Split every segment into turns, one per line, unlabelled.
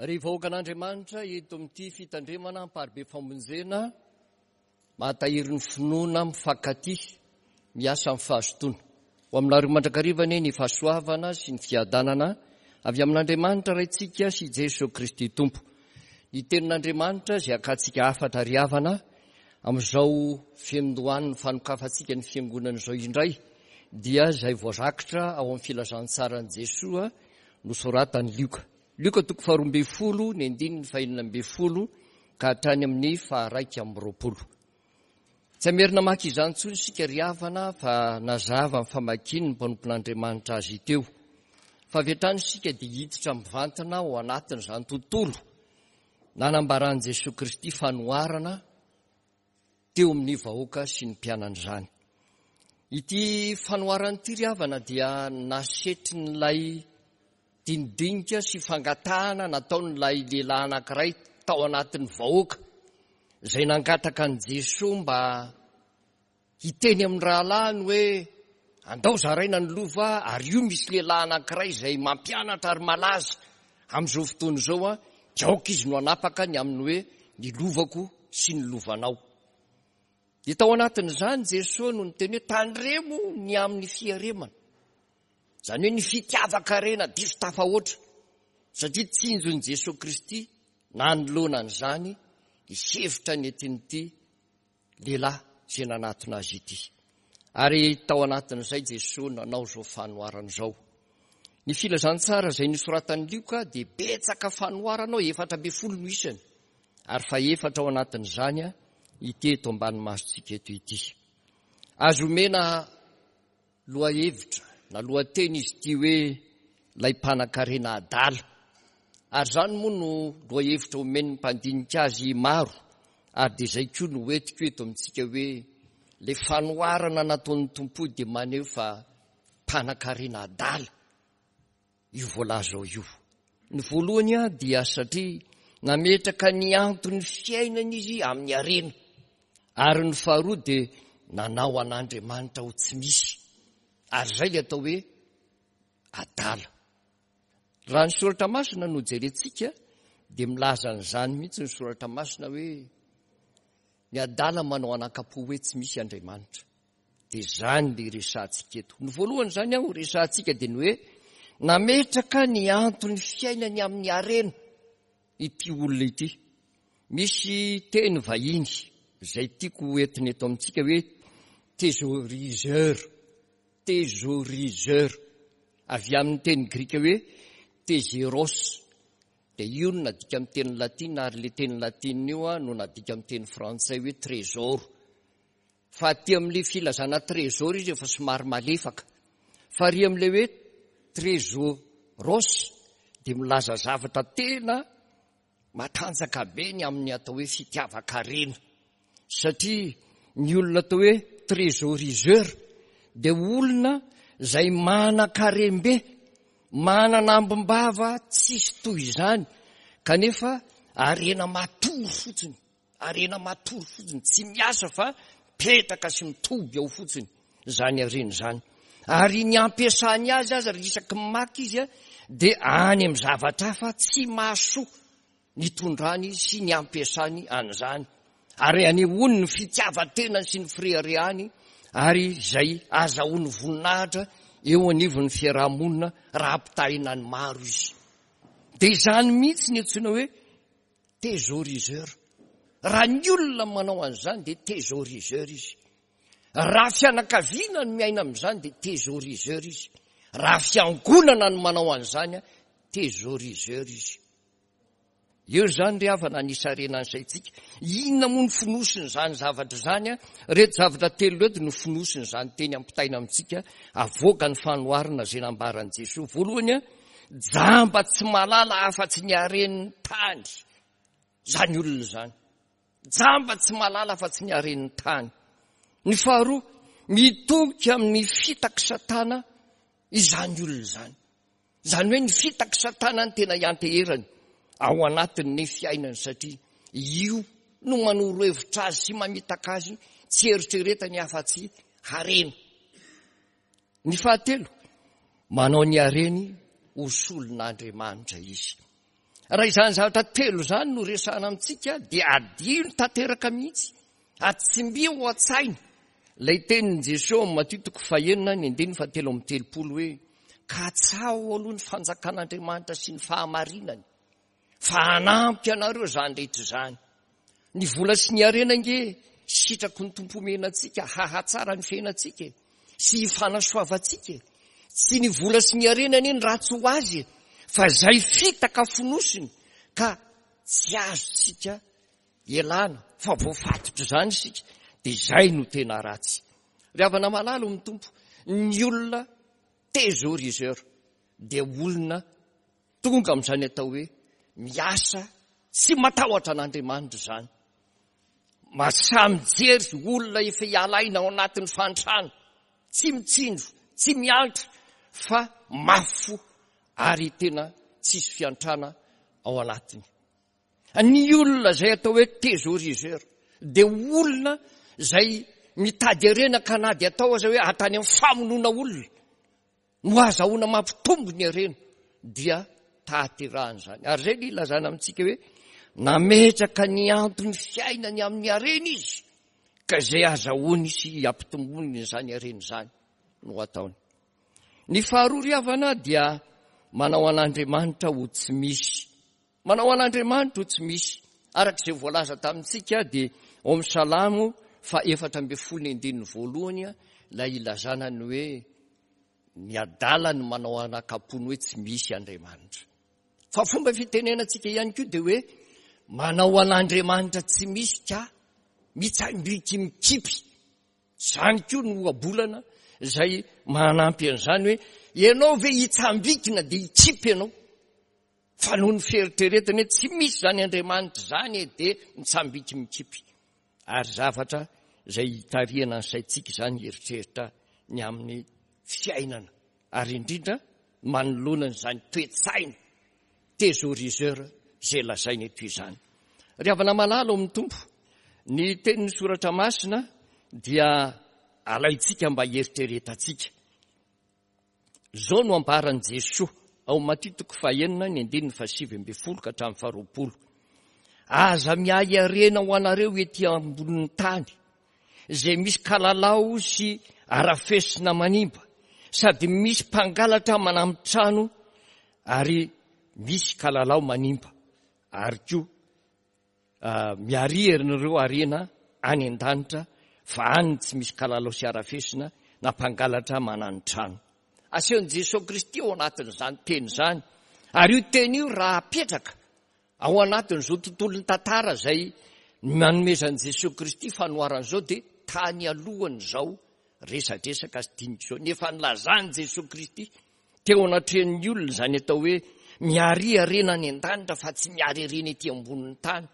Ry vahoakan'Andriamanitra eto amin'ity fitandremana amparibe famonjena mahatahiry ny finoana mifankatia miasa amin'ny fahazotoana. Ho aminareo mandrakariva anie ny fahasoavana sy ny fiadanana avy amin'Andriamanitra Raintsika sy Jeso Kristy Tompo. Ny tenin'Andriamanitra izay hakantsika hafatra ry havana amin'izao fiandohan'ny fanokafantsika ny fiangonana izao indray dia izay voarakitra ao amin'ny filazantsaran'i Jesoa nosoratan'i Lioka. Lioka toko faharoa ambin'ny folo ny andininy fahenina ambin'ny folo ka hatrany amin'ny faha-21. Tsy hamerina maka izany intsony isika ry havana fa nazava ny famakian'ny mpanompon'Andriamanitra azy teo. Fa avy hatrany isika dia hiditra mivantana ao anatin'izany tontolo nanambaran'i Jesoa Kristy fanoharana teo amin'ny vahoaka sy ny mpianany izany. Ity fanoharana ity ry havana dia nasetrin'ilay dinidinika sy fangatahana nataon'ilay lehilahy anankiray tao anatin'ny vahoaka izay nangataka an'i Jesoa mba hiteny amin'ny rahalahiny hoe andao zaraina ny lova ary io misy lehilahy anankiray izay mampianatra ary malaza amin'izao fotoana izao an, dia aoka izy no hanapaka ny amin'ny hoe ny lovako sy ny lovanao. Dia tao anatin'izany Jesoa no niteny hoe tandremo ny amin'ny fiaremana. Izany hoe ny fitiavan-karena diso tafahoatra, satria tsinjon'i Jesoa Kristy nanoloana an'izany ny hevitra nentin'ity lehilahy izay nanatona azy ity. Ary tao anatin'izay Jesoa nanao izao fanoharana izao. Ny filazantsara izay nosoratan'i Lioka dia betsaka fanoharana ao, 14 no isany, ary fahefatra ao anatin'izany ity eto ambany masontsika eto ity. Azo omena Lohahevitra na lohateny izy ity hoe Ilay mpanan-karena adala. Ary izany moa no lohahevitra omen'ny mpandinika azy maro ary dia izay koa no hoentiko eto amintsika hoe ilay fanoharana nataon'ny Tompo dia maneho fa mpanan-karena adala. io voalaza ao io. Ny voalohany dia satria nametraka ny anton'ny fiainany izy amin'ny harena, ary ny faharoa dia nanao an'Andriamanitra ho tsy misy, ary izay ilay atao hoe adala. Raha ny soratra masina no jerentsika dia milaza an'izany mihitsy ny soratra masina hoe ny adala manao anakam-po hoe tsy misy Andriamanitra. Dia izany ilay resahantsika eto. Ny voalohany izany ho resahantsika dia ny hoe nametraka ny anton'ny fiainany amin'ny harena ity olona ity. Misy teny vahiny izay tiako ho entina eto amintsika hoe thésauriseur, thésauriseur, avy amin'ny teny grika hoe thésauros. Dia io no nadika amin'ny teny latina ary ilay teny latina io no nadika amin'ny teny frantsay hoe trésor. Fa aty amin'ilay filazana trésor izy efa somary malefaka. Fa ary amin'ilay hoe trésoros dia milaza zavatra tena matanjaka be ny amin'ny atao hoe fitiavan-karena. Satria ny olona atao hoe trésoriseur dia olona izay manan-karem-be, manana ambim-bava tsisy toy izany, kanefa harena matory fotsiny. Harena matory fotsiny, tsy miasa fa mipetraka sy mitoby ao fotsiny izany harena izany. Ary ny ampiasany azy aza ry isaky ny maka izy dia any amin'ny zavatra hafa tsy mahasoa ny itondrany sy ny ampiasany an'izany. Ary anehoany ny fitiavan-tenany sy ny fireharehany ary izay azahoany voninahitra eo anivon'ny fiaraha-monina raha ampitahaina ny maro izy. Dia izany mihitsy ny antsoina hoe Thésauriseur. Raha ny olona manao an'izany dia thésauriseur izy. Raha fianakaviana no miaina amin'izany dia thésauriseur izy. Raha fiangonana no manao an'izany, thésauriseur izy. Eo izany ry havana ny hisarena ny saintsika. Inona moa ny fonosin'izany zavatra izany? Ireto zavatra telo ireto no fonosin'izany teny ampitaina amintsika avoaka ny fanoharana izay nambaran'i Jesoa. Voalohany, Jamba tsy mahalala afa-tsy ny haren'ny tany izany olona izany. Jamba tsy mahalala afa-tsy ny haren'ny tany. Ny faharoa, mitoky amin'ny fitak'i Satana izany olona izany. Izany hoe ny fitak'i Satana no tena ianteherany ao anatin'ny fiainany satria io no manoro hevitra azy sy mamitaka azy tsy eritreretany afa-tsy harena. Ny fahatelo, manao ny hareny ho solon'Andriamanitra izy. Raha izany zavatra telo izany no resahana amintsika dia adino tanteraka mihitsy, atsimbio ao an-tsaina ilay tenin'i Jesoa ao amin'ny Matio toko fahenina ny andininy fahatelo amby telopolo hoe katsaho aloha ny fanjakan'Andriamanitra sy ny fahamarinany fa hanampy anareo izany rehetra izany. Ny vola sy ny harena ange sitraky ny Tompo omena antsika hahatsara ny fiainantsika e, sy hifanasoavantsika e. Tsy ny vola sy ny harena anie ny ratsy ho azy e, fa izay fitaka fonosiny ka tsy azontsika ialana fa voafatotra izany isika dia izay no tena ratsy. Ry havana malala ao amin'ny Tompo, ny olona thésauriseur dia olona Tonga amin'izany atao hoe miasa tsy matahotra an'Andriamanitra izany. Masaha mijery olona efa hiala aina ao anatin'ny fahantrana, tsy mitsinjo, tsy miantra fa mafy fo ary tena tsisy fiantrana ao anatiny. Ny olona izay atao hoe thésauriseur dia olona izay mitady harena ka na dia atao aza hoe atany amin'ny famonoana olona no azahoana mampitombo ny harena dia tahaterahana izany. Ary izay ny ilazana amintsika hoe nametraka ny anton'ny fiainany amin'ny harena izy ka izay azahoany sy ampitombony izany harena izany no ataony. Ny faharoa ry havana dia manao an'Andriamanitra ho tsy misy. Manao an'Andriamanitra ho tsy misy. Araka izay voalaza tamintsika dia ao amin'ny Salamo faha 14 ny andininy voalohany ilay ilazana ny hoe ny adala no manao anakam-pony hoe tsy misy Andriamanitra. Fa fomba fitenenantsika ihany koa dia hoe manao an'Andriamanitra tsy misy ka mitsambiki mikipy. Izany koa no ohabolana izay manampy an'izany hoe ianao ve hitsambikina dia hikipy ianao. Fa noho ny fieritreretany hoe tsy misy izany Andriamanitra izany e dia mitsambiky mikipy. Ary zavatra izay hitarihana ny saintsika izany hieritreritra ny amin'ny fiainana ary indrindra manoloana an'izany toe-tsaina thésauriseur izay lazaina eto izany. Ry havana malala ao amin'ny Tompo, ny tenin'ny Soratra Masina dia alaintsika mba hieritreretantsika. Izao no ambaran'i Jesoa ao Matio toko fahenina ny andininy fahasivy ambin'ny folo ka hatramin'ny faharoapolo. Aza miahy harena ho anareo ety ambonin'ny tany, izay misy kalalao sy arafesina manimba, sady misy mpangalatra manami-trano ary misy kalalao manimba, ary koa Miaria ianareo harena any an-danitra fa any tsy misy kalalao sy harafesina na mpangalatra manani-trano. Asehon'i Jesoa Kristy ao anatin'izany teny izany, ary io teny io raha apetraka ao anatin'izao tontolon'ny tantara izay nanomezan'i Jesoa Kristy fanoharana izao dia tany alohan'izao resadresaka sy dinika izao, nefa nilazan'i Jesoa Kristy Teo anatrehan'ny olona izany atao hoe miaria harena any an-danitra fa tsy miary harena ety ambonin'ny tany.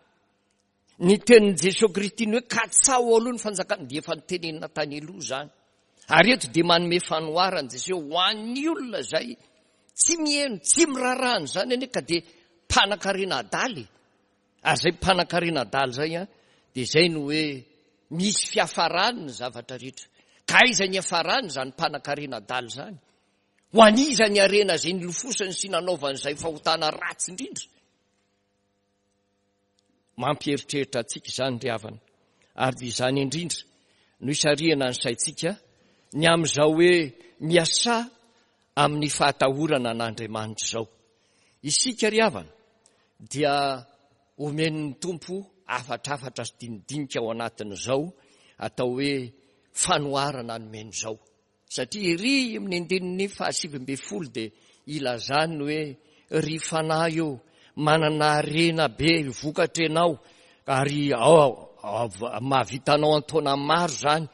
Ny tenin'i Jesoa Kristy ny hoe katsaho aloha ny fanjakana dia efa notenenina tany aloha izany. Ary eto dia manome fanoharana Jesoa ho an'ny olona izay tsy miheno, tsy miraharaha an'izany anie ka dia mpanan-karena adala e. Ary izay mpanan-karena adala izay an, dia izay no hoe misy fiafarany ny zavatra rehetra. Ka aiza ny hiafarany izany mpanan-karena adala izany? Ho an'iza ny harena izay nilofosany sy nanaovany izay fahotana ratsy indrindra? Mampieritreritra antsika izany ry havana, ary dia izany indrindra no isarihana ny saintsika ny amin'izao hoe miasà amin'ny fahatahorana an'Andriamanitra izao. Isika ry havana dia omen'ny Tompo hafatrafatra sy dinidinika ao anatin'izao atao hoe fanoharana nomeny izao. Satria ery amin'ny andininy fahasivy ambin'ny folo dia ilazany ny hoe, Ry fanahy ô, manana harena be vokatra ianao, ary mahavita anao an-taona maro izany,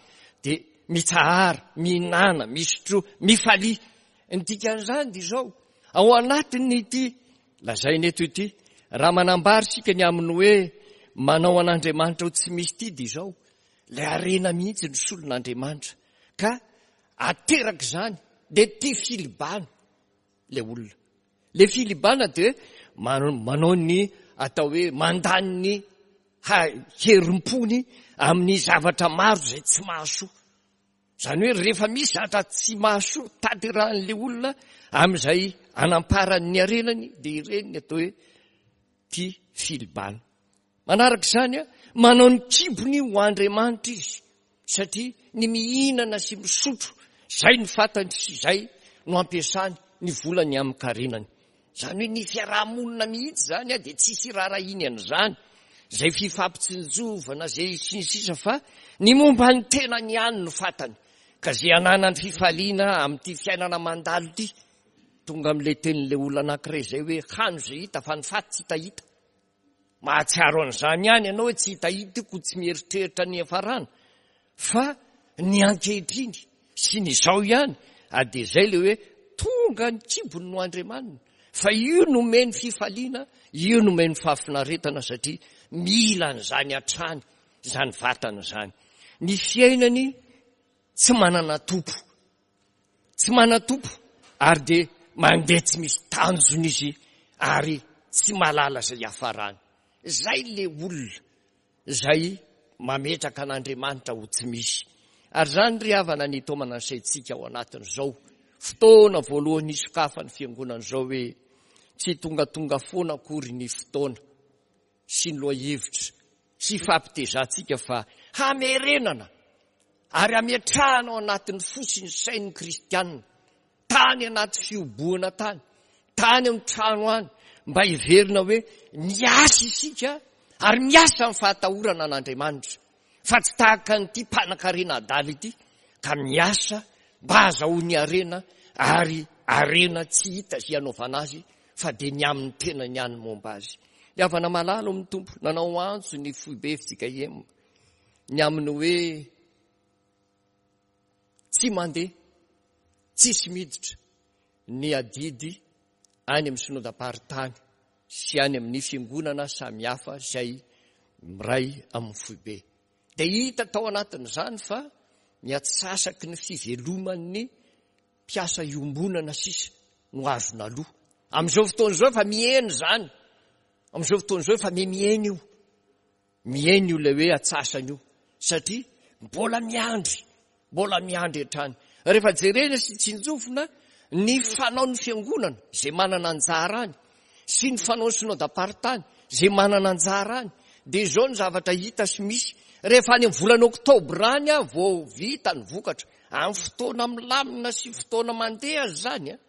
dia mitsahara, mihinàna, misotroa, mifalia. Ny dikan'izany dia izao, ao anatin'ity lazaina eto ity, raha manambara isika ny amin'ny hoe manao an'Andriamanitra ho tsy misy ity dia izao, ilay harena mihitsy no solon'Andriamanitra. Ka ateraka izany dia tia filibana ilay olona. Ilay filibana dia manao ny atao hoe mandany ny herim-pony amin'ny zavatra maro izay tsy mahasoa. Izany hoe rehefa misy zavatra tsy mahasoa tanterahan'ilay olona amin'izay anamparany ny harenany dia ireny ny atao hoe. ity filibana. Manaraka izany, manao ny kibony ho andriamanitra izy, satria ny mihinana sy misotro, izay no fantany sy izay no ampiasany ny volany amin-karenany. Izany hoe ny fiaraha-monina mihitsy izany dia tsisy iraharahiany an'izany, izay fifampitsinjovana izay sy ny sisa fa ny momba ny tenany ihany no fantany. Ka izay ananany fifaliana amin'ity fiainana mandalo ity, tonga amin'ilay tenin'ilay olona anankiray izay hoe hano izay hita fa ny faty tsy hitahita. Mahatsiaro an'izany ihany ianao hoe tsy hitahita io koa tsy mieritreritra ny hiafarana fa ny ankehitriny sy ny izao ihany ary dia izay ilay hoe tonga ny kibony no Andriamaniny fa io no omeny fifaliana, io no omeny fahafinaretana satria mila an'izany hatrany izany vatana izany. Ny fiainany tsy manana tompo. Tsy manan-tompo ary dia mandeha tsy misy tanjona izy ary tsy mahalala izay hiafarany. Izay ilay olona izay mametraka an'Andriamanitra ho tsy misy. Ary izany ry havana ny hitaomana ny saintsika ao anatin'izao fotoana voalohany hisokafan'ny fiangonana izao hoe tsy tongatonga foana akory ny fotoana sy ny lohahevitra sy hifampitezantsika fa hamerenana ary hametrahana ao anatin'ny fo sy ny sain'ny kristianina, tany anaty fihobohana tany, tany amin'ny trano any, mba hiverina hoe miasa isika ary miasa amin'ny fahatahorana an'Andriamanitra, fa tsy tahaka an'ity mpanankarena adala ity ka miasa mba hahazahoany harena ary harena tsy hita izay hanaovana azy fa dia ny amin'ny tenany ihany momba azy. Ny havana malala ao amin'ny Tompo, nanao antso ny foibe fjkm ny amin'ny hoe tsy mandeha, tsisy miditra ny adidy any amin'ny synodam-paritany sy any amin'ny fiangonana samihafa izay miray amin'ny foibe. Dia hita tao anatin'izany fa ny atsasaky ny fiveloman'ny mpiasa iombonana sisa no azo naloa. Amin'izao fotoana izao efa mihena izany. Amin'izao fotoana izao efa mihena io. Mihena io ilay hoe atsasany io satria mbola miandry, mbola miandry hatrany. Rehefa jerena sy tsinjovina ny fanaon'ny fiangonana izay manana anjara any sy ny fanaon'ny synodam-paritany izay manana anjara any dia izao ny zavatra hita sy misy rehefa any amin'ny volana oktobra any vao vita ny vokatra. Amin'ny fotoana milamina sy fotoana mandeha aza izany an,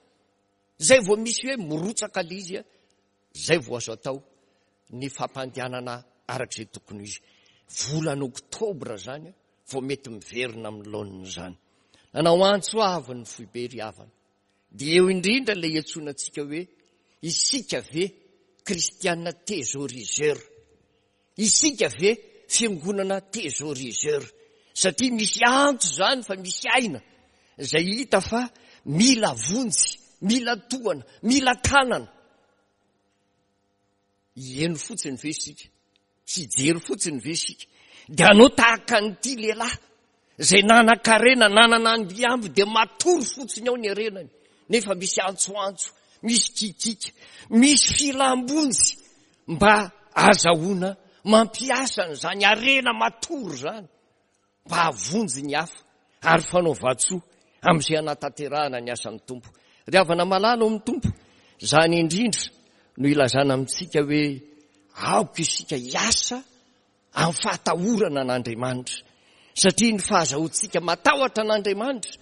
izay vao misy hoe mirotsaka ilay izy an, Izay vao azo atao ny fampandehanana araka izay tokony ho izy. Volana oktobra izany vao mety miverina amin'ny laoniny izany. Nanao antso avo ny foibe ry havana. Dia eo indrindra ilay iantsoana antsika hoe isika ve kristiana thésauriseur? Isika ve fiangonana thésauriseur? Satria misy antso izany fa misy aina izay hita fa mila vonjy, mila tohana, mila tanana. Hieno fotsiny ve isika? Hijery fotsiny ve isika? Dia hanao tahaka an'ity lehilahy izay nanan-karena, nanana ambiamby dia matory fotsiny ao ny harenany, nefa misy antsoantso, misy kikiaka, misy filam-bonjy mba azahoana mampiasa an'izany harena matory izany mba hahavonjy ny hafa ary fanaovan-tsoa amin'izay hanatanterahana ny asan'ny Tompo. Ry havana malala ao amin'ny Tompo, izany indrindra no ilazana amintsika hoe aoka isika hiasa amin'ny fahatahorana an'Andriamanitra, satria ny fahazahoantsika matahotra an'Andriamanitra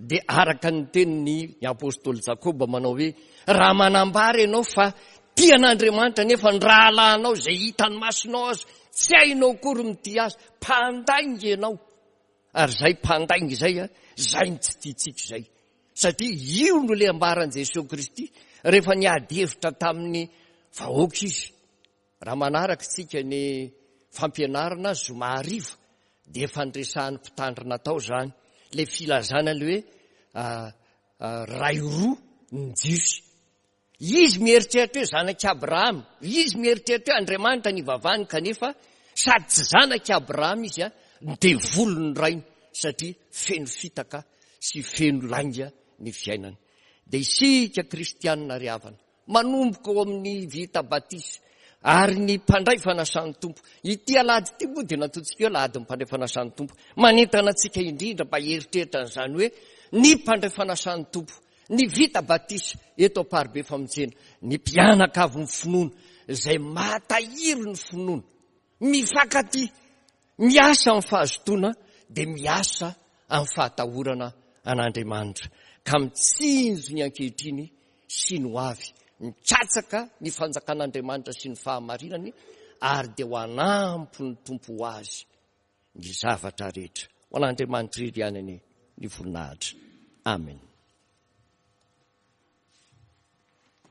dia araka ny tenin'ny apostoly Jakoba manao hoe, raha manambara ianao fa tia an'Andriamanitra nefa ny rahalahinao izay hitan'ny masonao aza tsy hainao akory mitia azy, mpandainga ianao. Ary izay mpandainga izay, izay no tsy tiantsika izay. Satria io no ilay ambaran'i Jesoa Kristy rehefa niady hevitra tamin'ny vahoaka izy. Raha manaraka isika ny fampianarana zoma hariva dia efa niresahan'ny mpitandrina tao izany, ilay filazana ilay hoe ray roa ny Jiosy. Izy mieritreritra hoe zanak'i Abrahama, izy mieritreritra hoe Andriamanitra nivavahany kanefa sady tsy zanak'i Abrahama izy, ny devoly ny rainy satria feno fitaka sy feno lainga ny fiainany. Dia isika kristianina ry havana, manomboka ao amin'ny vita batisa ary ny mpandray fanasan'ny Tompo. Ity alahady ity moa dia nataontsika hoe alahadin'ny mpandray fanasan'ny Tompo. Manentana antsika indrindra mba hieritreritra an'izany hoe ny mpandray fanasan'ny Tompo. ny vita batisa eto Amparibe Famonjena, ny mpianakavin'ny finoana izay mahatahiry ny finoana, mifankatia, miasa amin'ny fahazotoana dia miasa amin'ny fahatahorana an'Andriamanitra ka mitsinjo ny ankehitriny sy ny ho avy, mikatsaka ny fanjakan'Andriamanitra sy ny fahamarinany ary dia ho anampy ny Tompo ho azy ny zavatra rehetra. Ho an'Andriamanitra irery ihany anie ny voninahitra. Amen.